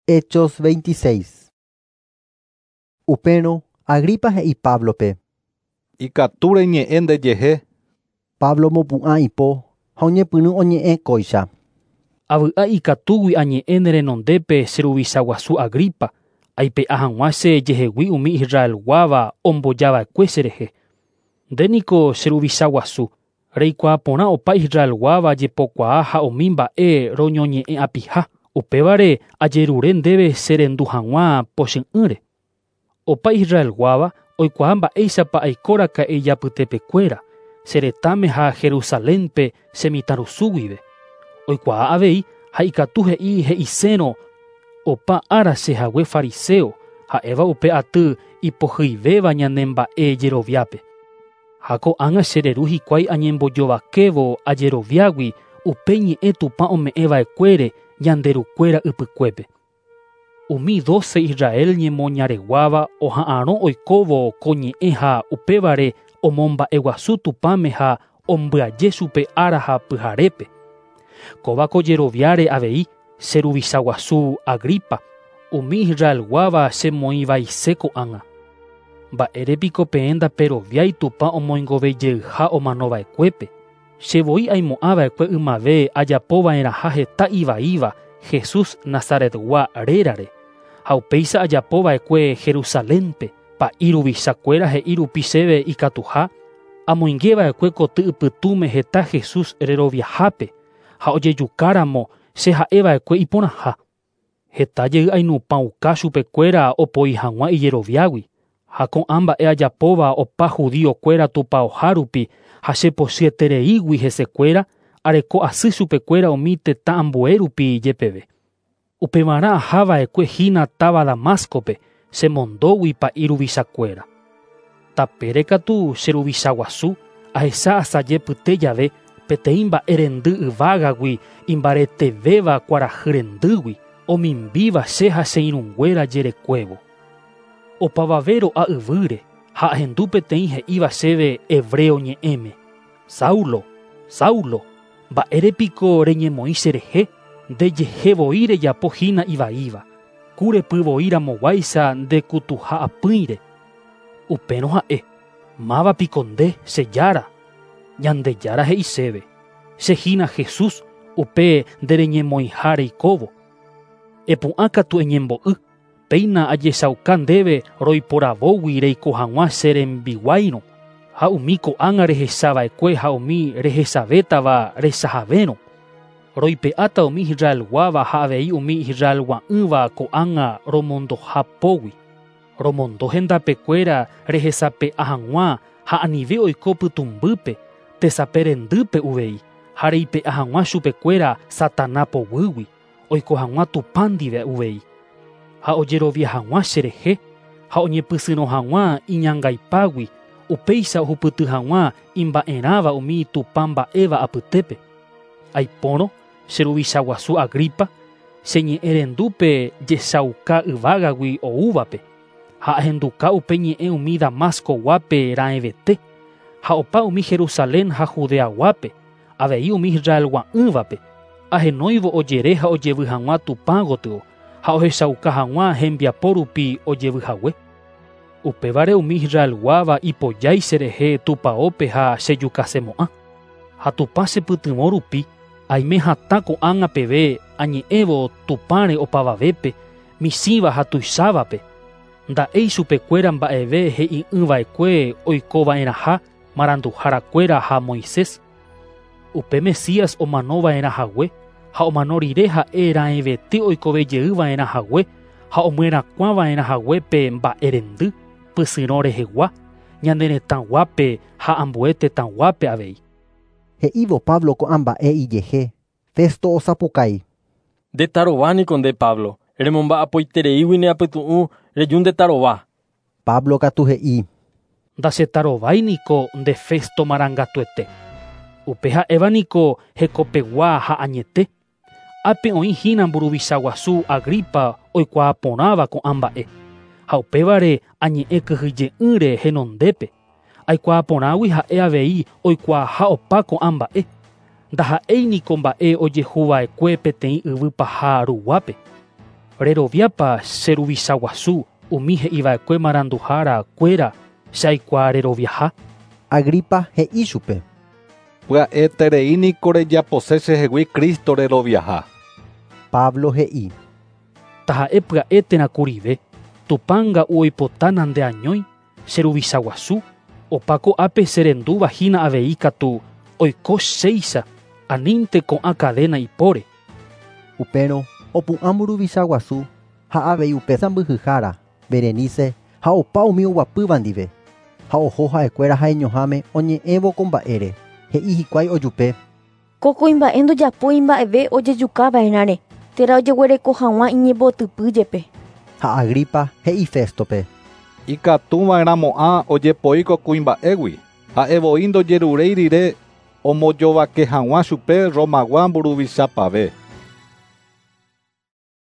Hechos 26. Upérõ Agripa he'i Páblope. Ikatu reñe'ẽ ndejehe. Pablo omopu'ã ipo ha oñepyrũ oñe'ẽ kóicha. Avy'a ikatúgui añe'ẽ ne renondépe che ruvicha guasu Agripa, aipe'a hag̃ua che jehegui umi Israelguáva ombojava'ekue cherehe. Nde niko che ruvicha guasu, reikuaa porã opa Israelguáva jepokuaa ha umi mba'e roñoñe'ẽ'apiha, upévare ajerure ndéve cherendu hag̃ua pochy'ỹre. Opa Israelguáva oikuaa mba'éichapa aikoraka'e ijapytepekuéra, che retãme ha Jerusalénpe che mitãrusu guive. Oikuaa avei ha ikatu he'i he'isérõ opa ára chehague fariseo, ha'éva upe aty ipohyivéva ñane mba'e jeroviápe. Ha ko'ág̃a chereru hikuái añembojovakévo ajeroviágui upe ñe'ẽ Tupã ome'ẽva'ekuére ñande rukuéra ypykuépe. Umi 12 Israel ñemoñareguáva oha'arõ oikóvo ko ñe'ẽ ha upévare omomba'eguasu Tupãme ha ombyaje chupe ára ha pyharépe. Kóva ko jeroviáre avei che ruvicha guasu Agripa, umi Israelguáva chemoĩvaise ko'ág̃a. Mba'érepiko peẽ ndaperoviái Tupã omoingovejeyha omanova'ekuépe. Che voi aimo'ãva'ekue ymave ajapova'erãha heta ivaíva Jesús Nazaretgua rérare. Ha upéicha ajapova'ekue Jerusalénpe, pa'i ruvichakuéra he'i rupi chéve ikatuha, amoingeva'ekue koty ypytũme heta Jesús reroviahápe ha ojejukáramo che ha'eva'ekue iporãha. Heta jey ainupãuka chupekuéra opoi hag̃ua ijeroviágui. Ha ko'ã mba'e ajapóva opa judíokuéra tupãoha rupi ha chepochyetereígui hesekuéra areko asy chupekuéra umi tetã ambue rupi jepeve. Upevarã ahava'ekue hína táva Damáscope chemondógui pa'i ruvichakuéra. Tapére katu che ruvicha guasu ahecha asaje pyte jave peteĩ mba'e rendy yvágagui imbaretevéva kuarahy rendýgui omimbíva che ha che irũnguéra jerekuévo. Opavave ro'a yvýre ha ahendu peteĩ he'íva chéve hebreo ñe'ẽme. Saulo, Saulo, mba'érepiko reñemoĩ cherehe, ndejehe voi rejapo hína ivaíva. Kurepy voi ramoguáicha ndekutuha apỹire. Upérõ ha'e, mávapiko nde, che jára. Ñandejára he'i chéve, che hína Jesús upe ndereñemoĩha reikóvo. Epu'ã katu eñembo'y, péina ajechauka ndéve roiporavógui reiko hag̃ua che rembiguáirõ, ha umi ko'ág̃a rehechava'ekue ha umi rehechavétava rechahavérõ. Roipe'áta umi Israelguáva ha avei umi Israelgua'ỹva ko'ág̃a romondoha pógui. Romondo hendapekuéra rehesape'a hag̃ua ha anive oiko pytũmbýpe, tesape rendýpe uvei, ha reipe'a hag̃ua chupekuéra Satana poguýgui, oiko hag̃ua Tupã ndive uvei. Ha ojerovia hag̃ua cherehe ha oñepysyrõ hag̃ua iñangaipágui, upéicha ohupyty hag̃ua imba'erãva umi Tupã mba'éva apytépe. Aipórõ che ruvicha guasu Agripa, che ñe'ẽrendúpe jechauka yvágagui oúvape, ha ahenduka upe ñe'ẽ umi Damascoguápe raẽvete, ha opa umi Jerusalén ha Judeaguápe, avei umi Israelgua'ỹvape, ahenóivo ojere ha ojevy hag̃ua Tupã gotyo, ha ohechauka hag̃ua hembiapo rupi ojevy hague. Upévare umi Israelguáva ipojái cherehe tupãópe ha chejukasemo'ã. Ha Tupã chepytyvõ rupi, aime hatã ko'ág̃a peve añe'ẽvo Tupãre opavavépe, michĩva ha tuichávape. Nda'éi chupekuéra mba'eve he'i'ỹva'ekue oikova'erãha maranduharakuéra ha Moisés. Upe Mesías omanova'erã hague ha omano rire ha'e raẽvete oikovejeyva'erã hague ha omyerakuãva'erã hague pe mba'e rendy pysyrõ rehegua ñane retãguápe ha ambue tetãguápe avei. He'ívo Pablo ko'ã mba'e ijehe, Festo osapukái. Ndetarovániko nde Pablo, remomba'apoitereígui ne apytu'ũ reju ndetarova. Pablo katu he'i. Ndachetarovái niko nde Festo marangatuete. Upe ha'éva niko hekopegua ha añete. Ápe oĩ hína mburuvicha guasu Agripa oikuaa porãva ko'ã mba'e. Ha upévare añe'ẽ kyhyje'ỹre henondépe. Aikuaa porãgui ha'e avei oikuaaha opa ko'ã mba'e. Ndaha'éi niko mba'e ojehuva'ekue peteĩ yvy paha ruguápe. Reroviápa che ruvicha guasu umi he'iva'ekue maranduhára kuéra che aikuaa reroviaha. Agripa he'i chupe. Pya'eterei niko rejapose chehegui Cristo reroviaha. Pablo he'i. Taha'e pya'e térã kurive, Tupã nga'u oipota nandeañói che ruvicha guasu, opa ko'ápe cherendúva hína avei katu oiko chéicha anínte ko'ã cadena ipóre. Upérõ opu'ã mburuvicha guasu ha avei upe sãmbyhyhára Berenice ha opa umi oguapýva ndive ha oho ha'ekuéra ha'eñoháme oñe'ẽvo ko mba'ére he'i hikuái ojupe. Ko kuimba'e ndojapói mba'eve ojejukava'erãre térã ojeguereko hag̃ua iñembotypy jepe. Ha Agripa he'i Féstope. Ikatuva'erãmo'ã ojepoi ko kuimba'égui ha'evoi ndojeruréi rire ombojovake hag̃ua chupe Romagua mburuvichapave.